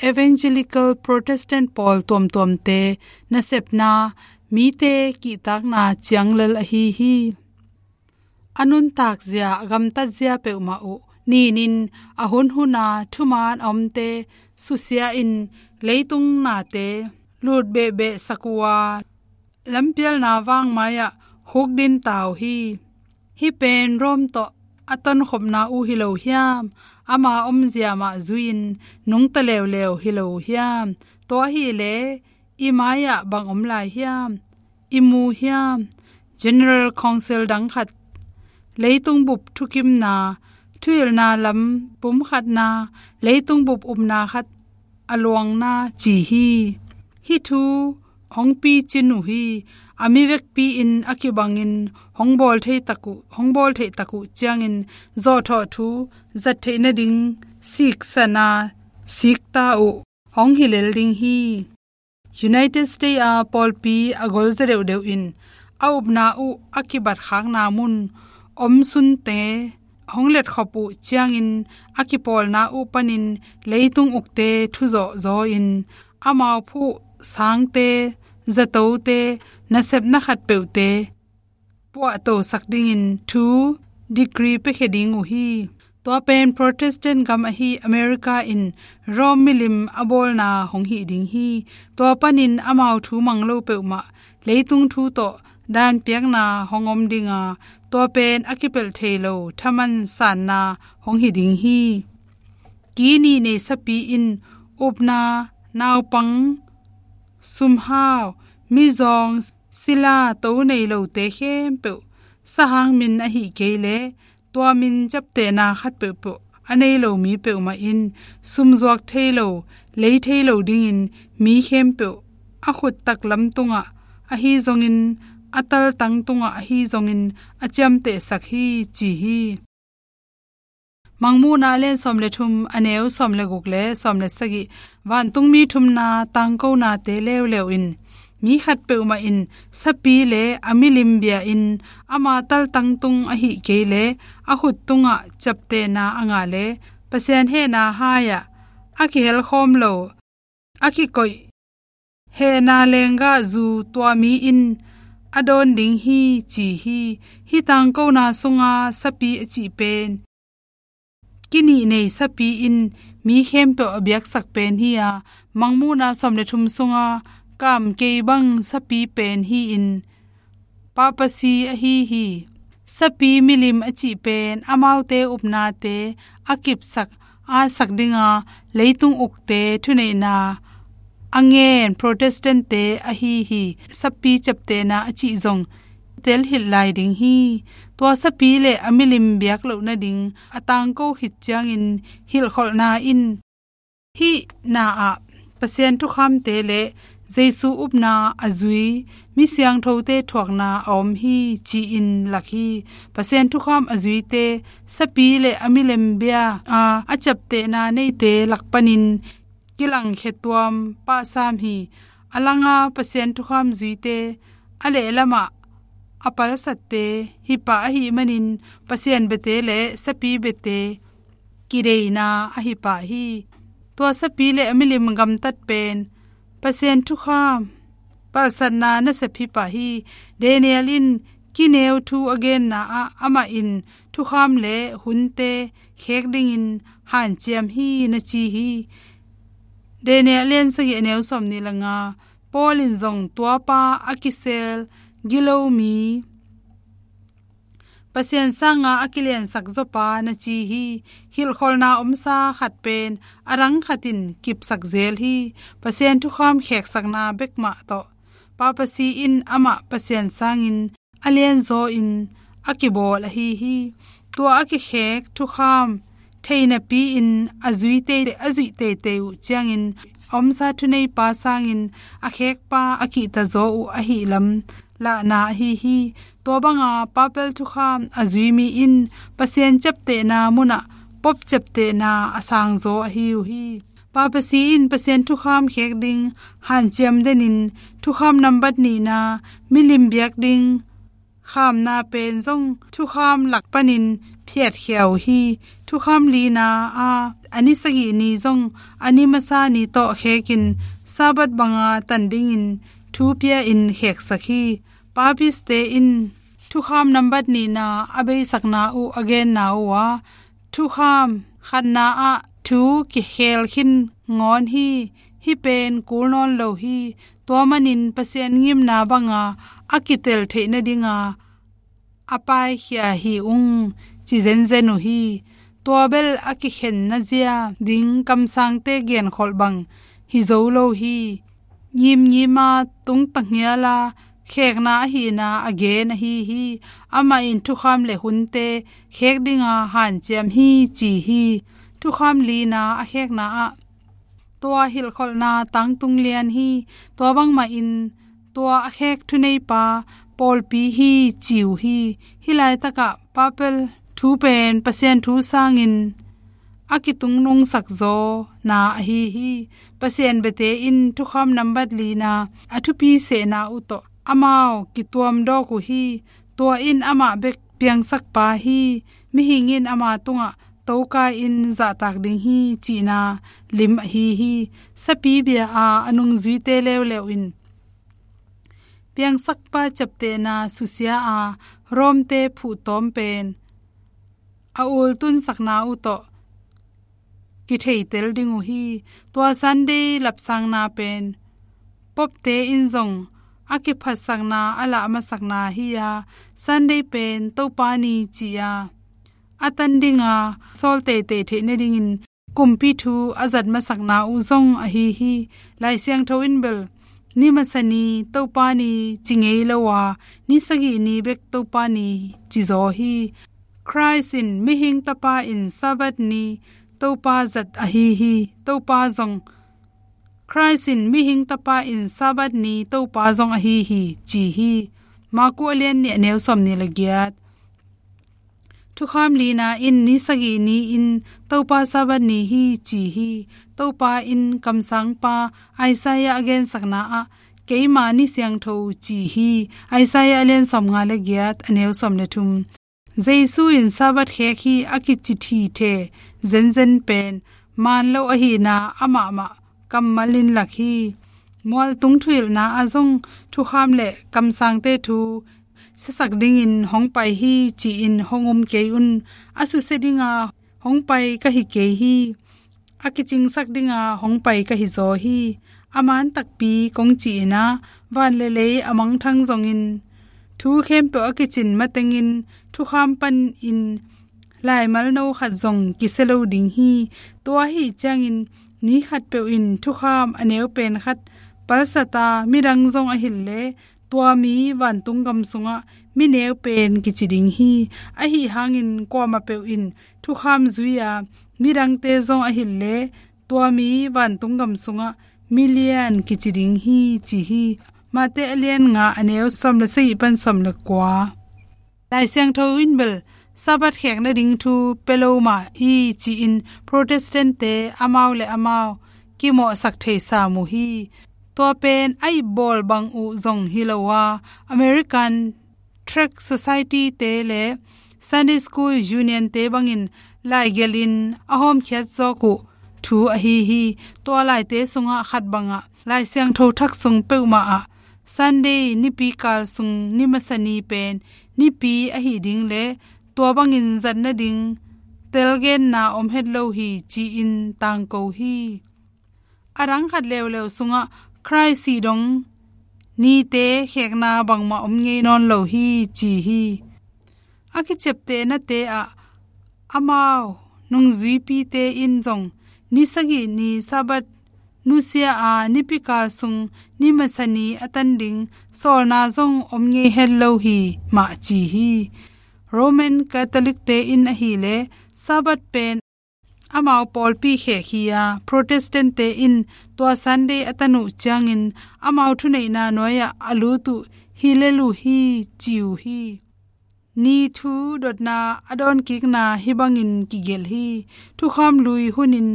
Evangelical Protestant pawl tuamtuamte nasepna mite kihtakna ciang lel ahi hi. A nuntak zia, a gamtat zia peuhmah uh ninin a hunhuna thuman a omte susia in leitung nate lut behbeh sak uh a, lampialna vangmai-ah hukdin ta uh hi. Hih pen Rome tawh a tonkhopna uh hi lo hiam? Ama omzia mah zui-in nungta leuleu hi lo hiam? Tua ahileh i mai-ah bang om lai hiam? I mu hiam? General Council dang khat, leitung bup thukimna, thuhilhna lam pumkhatna, leitung bup upna khat a luangna ci hi. Hih thu hong picin uh hi. A mi vekpi-in a kibangin hong bawl thei tak uh, hong bawl theih tak uh ciangin zawhthawh thu zat theih nading siksana sikta uh hong hi lel ding hi. United States a pawlpi a golzaw deuhdeuh in a upna uh a kibatkhakna mun om sunte hong letkhop uh ciangin a kipawlna uh panin leitung ukte thuzawh zaw-in amau phuh sangte, zatote, nasepna khatpeuhte puahtosak dingin thu decree piakhia ding uh hi. Tua pen Protestant gam ahi America in Rome milim a bawlna hong hih ding hi. Tua panin amau thu mang lo peuhmah leitung thu tawh danpiakna hong om dinga, tua pen a kipelh thei lo thaman sanna hong hi ding hi. Ki nih nei sapi in upna, naupang, sumhau, mizawng, sila, to nei lote khempeuh sahang min ahih kei leh tua min ciaptehna khat peuhpeuh a nei lo mi peuhmah in sumzuak thei lo, lei thei lo dingin mi khempeuh a khut taklam tungah ahi zongin, a taltang tungah ahi zongin a ciamtehsak hi, ci hi. Mangmuhna a lian sawm le thum, a neu sawm le guk le sawm le sagih. Vantungmi thumna tangkonate leuleu in mi khat peuhmah in sapi le a milim bia-in ama taltang tung ahih kei leh a khut tungah ciaptehna a ngah leh Pasian hehna hai-ah a kihelkhawm lo, a kikoih hehna lenggahzu tua mi in a dawn ding hi, ci hi. Hih tangkona sunga sapi a cih pen ki nih nei sapi in mi khempeuh a biaksak pen hi-a, Mangmuhna sawm le thum sunga kam kei bang sapi pen hi-in papasi ahi hi. Sapi milim a cih pen amaute upnate a kipsak, a sak dinga leitung ukte thuneihna a ngen Protestant-te ahi hi. Sapi ciaptehna a cih zong telhilh lai ding hi. Tua sapi le a milim biak loh nading a tangko khit ciangin hilhkholhna in hih na-ah Pasian thukhamte le Jesu upna a zui mi siangthote thuakna a om hi, ci-in lak hi. Pasian thukham a zuite, sapi le a milem bia a, a ciaptehna neite lak panin kilangkhia tuam pahsam hi. A langa Pasian thukham zuite, a lehlamah a palsatte hi pah ahih manin Pasian biate le sapi biate kideina ahi pah hi. Tua sapi le a milim gamtat pen Pasian thukham palsatna nasep hi pah hi. Daniel in kineu thu a genna ah amah in thukham le hunte khek dingin hanciam hi na ci hi. Daniel lian sagih a neu sawmnih le nga. Paul in zong tuapa a kisel gilo mi, Pasian sanga a kiliansak zawpa na ci hi. Hilhkholhna omsa khat pen a dang khat in kipsak zel hi. Pasian thukham kheksakna bek mah tawh Papasi in amah Pasian sangin a lianzaw in a kibawl ahi hi. Tua a kikhek thukham thei napi-in a zuite, a zuih teitei uh ciangin a omsa thuneipa sangin a khekpa a kihtazaw uh ahih lam lahna ahi hi. Tua banga papel thukham a zui mi in Pasian ciaptehna munah pop ciaptehna a sangzaw ahi uh hi. Papasi in Pasian thukham khek ding hanciam denin thukham nambat nihna milim biak ding khamna pen zong thukham lak panin phiatkhia uh hi. Thukham lina a, a ni sagih ni zong a ni masa ni tawh khekin Sabbath banga tan dingin thu pia-in kheksak hi. Papiste in thukham nambat nihna a beisakna uh a genna uh a, thukham khatna ah thu kikhel khin ngawn hi. Hih pen kul nawn lo hi. Tua manin Pasian ngimna banga a kitel theih nadinga a paikhia hi ung, ci zenzen uh hi. Tua bel a kikhenna zia ding kamsangte genkholh bang hi zo lo hi. Ngimngima tungtang hiala khekna ahihna a gen ahi hi. Amah in thukham le hunte khek dinga hanciam hi ci hi. Thukham lina a khekna ah tua hilhkholhna tangtung lian hi. Tua bangmahin tua a khek thuneipa pawlpi hi ci uh hi. Hih laitakah papel thu pen Pasian thu sangin a kitungnungsak zawna ahi hi. Pasian biate in thukham nambat lina a thupi sehna uh tawh amau kituam dawk uh hi. Tua in amah bek piangsakpa hi. Mihing in ama tungah toka in zahtak ding hi cihna lim ahi hi. Sapi bia a a nungzuite leuleu in piangsakpa ciaptehna susia a Rom-te phuhtawm pen a ultunsakna uh tawh kitheitel ding uh hi. Tua Sunday lapsangna pen Pope-te in zong a kiphatsakna a lah masakna hi a, Sunday pen Topa ni ci a, a tan dinga sawl teitei theih nadingin kumpi thu a zat masakna uh zong ahi hi. Lai Siangtho in bel ni masa ni Topa ni ci ngei lo a, ni sagih ni bek Topa ni ci zaw hi. Christ in mihing tapa in Sabbath ni Topa zat ahi hi. Topa zong, Christ in mihing tapa in Sabbath ni Topa zong ahi hi ci hi. Marku a lian nih a neu sawmnih le giat. Thukham lina in ni sagih ni in Topa Sabbath ni hi ci hi. Topa in kamsangpa Isaiah a gensakna ah keima ni siangtho ci hi. Isaiah a lian sawmnga le giat a neu sawm le thum. Jesu in Sabbath khek hi a kici thithe zenzen pen maan lo ahihna amahmah kammal in lak hi. Mualtung thuhilhna ah zong thukham le kamsangte thu siasak dingin hong pai hi ci-in hong um kei un. A susia dinga hong pai ka hi kei hi. A kicingsak dinga hong pai ka hi zaw hi. A maan takpi kong ci-in ah van le lei a mangthang zongin thu khempeuh a kicin matengin thukham panin laimal no khat zong kisia lo ding hi. Tua ahi ciangin ni khatpeuh in thukham a neu pen khat palsat a midang zong a hilh leh tua mi vantung gam sungah mi neu pen kici ding hi. Ahi hangin kuamah peuh in thukham zui a midangte zong a hilh leh tua mi vantung gam sungah mi lian kici ding hi ci hi. Mate a lian nga a neu sawm le sagih pan sawm le kua. Lai Siangtho in bel Sabbath khek nading thu pia lo mah hi ci-in Protestant-te amau le amau kimawhsak thei sam uh hi. Tua pen a ipbawl bang uh zong hi lo a, American Tract Society-te le Sunday School Union-te bangin laigelhin a hawmkhiat zawk uh thu ahi hi. Tua laite sungah khat bangah Lai Siangtho Thak sung peuhmah ah Sunday nipikal sung ni masa ni pen nipi ahi ding le tua bangin zat nading telgenna om het lo hi ci-in tangko hi. A dang khat leuleu sungah Khrih sih dong nite khekna bangmah om ngei nawn lo hi ci hi. A kiciaptehnate ah amau nungzuipite in zong ni sagih ni Sabbath nusia a nipikal sung ni masa ni a tan ding sawlna zong om ngei het lo hi mah ci hi. Roman Catholic-te in ahileh Sabbath pen amau pawlpi khek hi a, Protestant-te in tua Sunday a tan uh ciangin amau thuneihna nuai-ah a lut uh hi lel uh hi ci uh hi. Ni thu dotna a dawnkikna hih bangin kigelh hi. Thukham lui hunin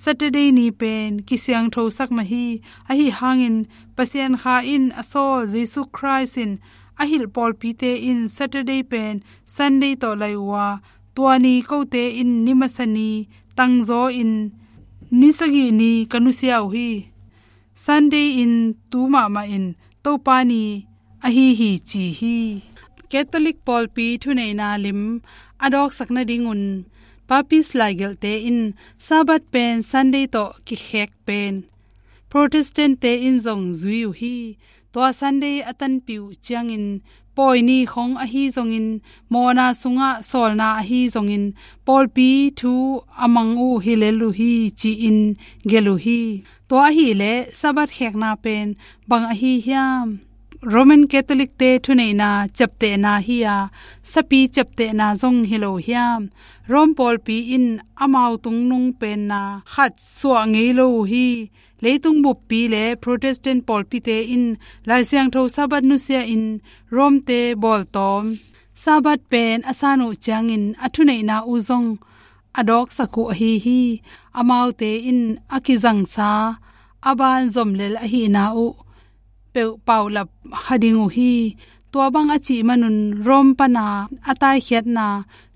Saturday ni pen kisiangthosak mah hi. Ahi hangin Pasian Kha in a sawl Jesu Khrih in a hilh pawlpite in Saturday pen Sunday tawh lai uh a, tua ni kote in ni masa ni tangzaw in ni sagih ni ka nusia uh hi. Sunday in tu mahmah in Topa ni ahi hi ci hi. Catholic pawlpi thuneihna lim a dawksak nadingun Papist laigelhte in Sabbath pen Sunday tawh kikhek pen Protestant-te in zong zui uh hi. Tua Sunday a tanpih uh ciangin pawi ni khong ahi zongin, mawhna sungah sawlna ahi zongin, pawlpi thu a mang uh hi lel uh hi ci-in gelh uh hi. Tua ahileh Sabbath khekna pen bang ahi hiam? Roman Catholic-te thuneihna ciaptehna hi a, sapi ciaptehna zong hi lo hiam? Rome pawlpi in amau tungnung penna khat suah ngei lo uh hi. Leitung buppi le Protestant pawlpite in Lai Siangtho Sabbath nusia in Rome-te bawltawm Sabbath pen a san uh ciangin a thuneihna uh zong a dawksak uh ahi hi. Amaute in a kizangsa a ban zomlel ahihna uh peuh paulap kha ding uh hi. Tua bang a cih manun Rome pana a taikhiatna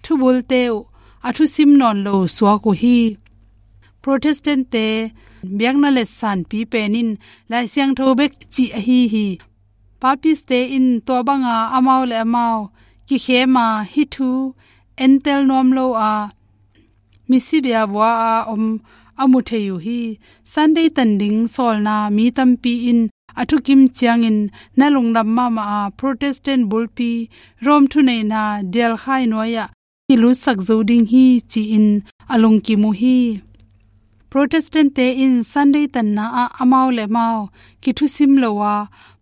thubulte uh a thusim nawn lo suak uh hi. Protestant-te biakna letsanpi pen in Lai Siangtho bek cih ahi hi. Papist-te in tua banga amau le amau kikhema hih thu entel nuam lo a, misibia vua a om a mu thei uh hi. Sunday tan ding sawlna mi tampi in a thukim ciangin na lungdam mahmah a, Protestant bulpi Rome thuneihna dialkhai nuai-ah kilutsak zo ding hi ci-in a lungkim uh hi. Protestant-te in Sunday tanna ah amau le amau kithusim lo a,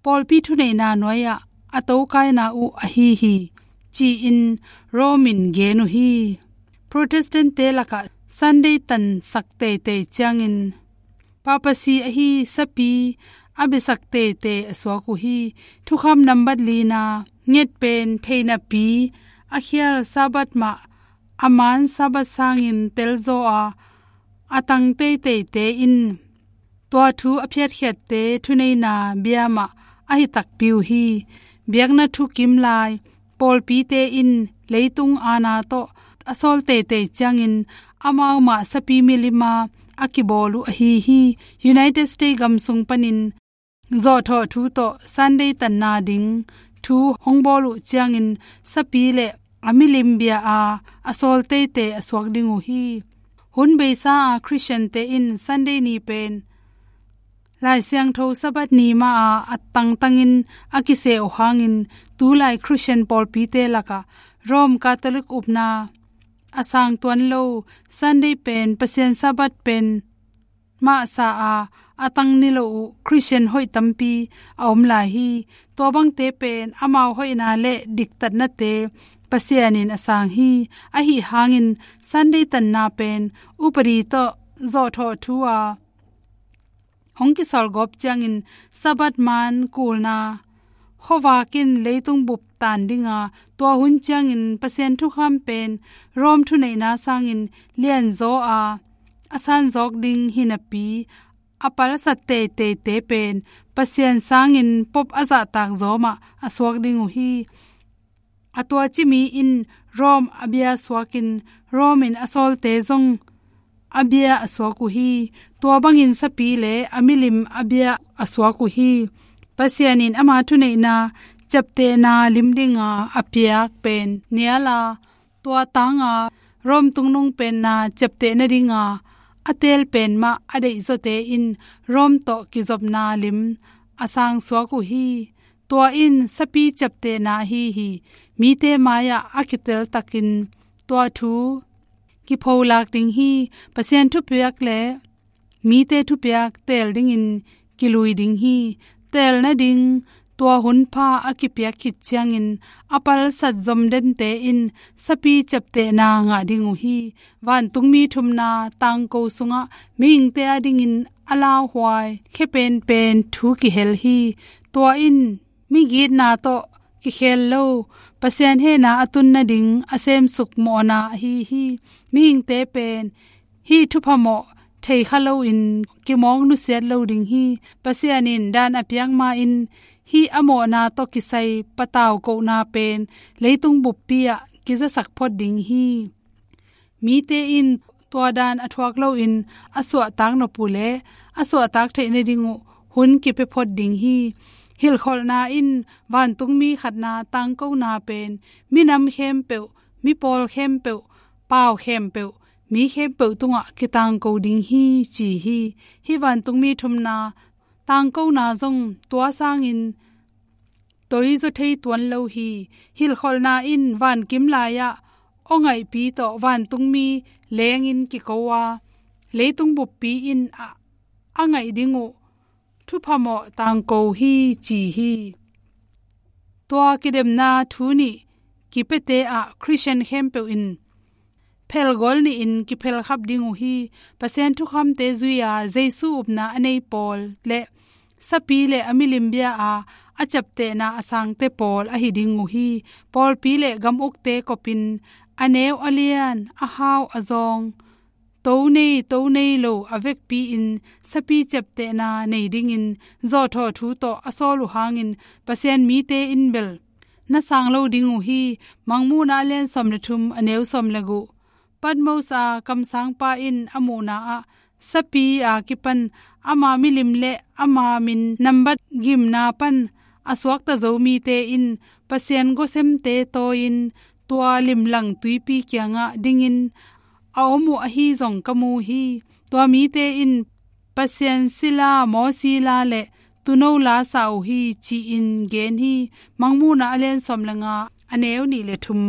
pawlpi thuneihna nuai-ah a tokaina uh ahi hi ci-in Rome in gen uh hi. Protestant-te lakah Sunday tansak teitei ciangin papacy ahi sapi a biasak teitei a suak uh hi. Thukham nambat lina nget pen theinapi a khial Sabbath mah a man Sabbath sangin telzaw a, a tang teiteite in tua thu a phiatkhiatte thuneihna bia mah ahi takpi uh hi. Biakna thukim lai pawlpite in leitung aana tawh a sawl teitei ciangin amau mah sapi milima a kibawl uh ahi hi. United States gam sung panin zawhthawh thu tawh Sunday tanna ding thu hong bawl uh ciangin sapi le a milim bia a a sawl teitei a suak ding uh hi. Hun beisa a Christian-te in Sunday ni pen Lai Siangtho Sabbath ni mah a a tangtangin a kiseh uh hangin tulai Christian pawlpite lakah Rome Catholic upna a sang tuan lo Sunday pen Pasian Sabbath pen mahsa a a tang ni lo uh Christian hoih tampi a om lai hi. Tua bangte pen amau hoihna le diktatnate Pasian in a sang hi. Ahi hangin Sunday tanna pen upadi tawh zawhthawh thu a hong kisawl gawp ciangin Sabbath man kulna khuavak in leitung bup tan ding a, tua hun ciangin Pasian thukham pen Rome thuneihna sangin lianzaw a, a sanzawk ding hi napi, a palsat teiteite pen Pasian sangin pop a zahtak zaw mah a suak ding uh hi. A tuaci mi in Rome a bia suakin, Rome in a sawlte zong a bia a suak uh hi. Tua bangin sapi le a milim a bia a suak uh hi. Pasian in ama thuneihna ciaptehna lim dinga a piak pen nial a, tua tanga Rome tungnung penna ciapteh nadinga a teel pen mah a deihzawte in Rome tawh kizopna lim a sang suak uh hi. Tua in sapi ciaptehna ahi hi. Mite mai-ah a kiteltakin tua thu kipholak ding hi. Pasian thupiak le mite thupiak teel dingin kilui ding hi. Teel nading tua hunpha a kipiak khit ciangin a palsat zomdente in sapi ciaptehna ngah ding uh hi. Vantungmi thumna tangko sungah mihingte adingin a lauhuai khia penpen thu kihel hi. Tua in migitna tawh kikhel lo, Pasian hehna a tun nading a semsuk mawhna ahi hi. Mihingte pen hih thupha mawh theikha loin kimawk nusiat lo ding hi. Pasian in dan a piak ma-in hih a mawhna tawh kisai patau kohna pen leitung buppi ah kizasak phot ding hi. Mite in tua dan a thuak loin a suahtak nop uh leh a suahtak theih nading uh hun kipia phot ding hi. Hilhkholhna in vantungmi khatna tangkona pen minam khempeuh, mipawl khempeuh, pau khempeuh, mi khempeuh tungah kitangko ding hi ci hi. Hih vantungmi thumna tangkona zong tua sangin toizaw thei tuan lo hi. Hilhkholhna in vankim lai-ah aw ngaihpi tawh vantungmi lengin kiko a, leitung buppi in a, a ngaih ding uh thupha mawh tangko hi ci hi. Tua kidemna thu nih kipiate ah Khristian khempeuh in phelgawl nihin kiphelkhap ding uh hi. Pasian thukhamte zui-a Jesu upna a nei pawl le sapi le a milim bia-a a ciaptehna a sangte pawl ahi ding uh hi. Pawlpi le gam ukte kopin a neu a lian, a hau a zawng, to nei to nei lo a vekpi-in sapi ciaptehna nei dingin zawhthawh thu tawh a sawl uh hangin Pasian mite in bel na sang lo ding uh hi. Mangmuhna a lian sawm le thum, a neu sawm le guk. Patmos a kamsangpa in a muhna ah sapi a kipan ama milim le ama min nambat gimna pan a suakta zo mite in Pasian gawsemte tawi-in tua limlang tuipi kiangah dingin a om uh ahi zong ka mu hi. Tua mite in Pasian sila, mawsi la le tuuno la sa uh hi ci-in gen hi. Mangmuhna a lian sawm le nga, a neu nih le thum.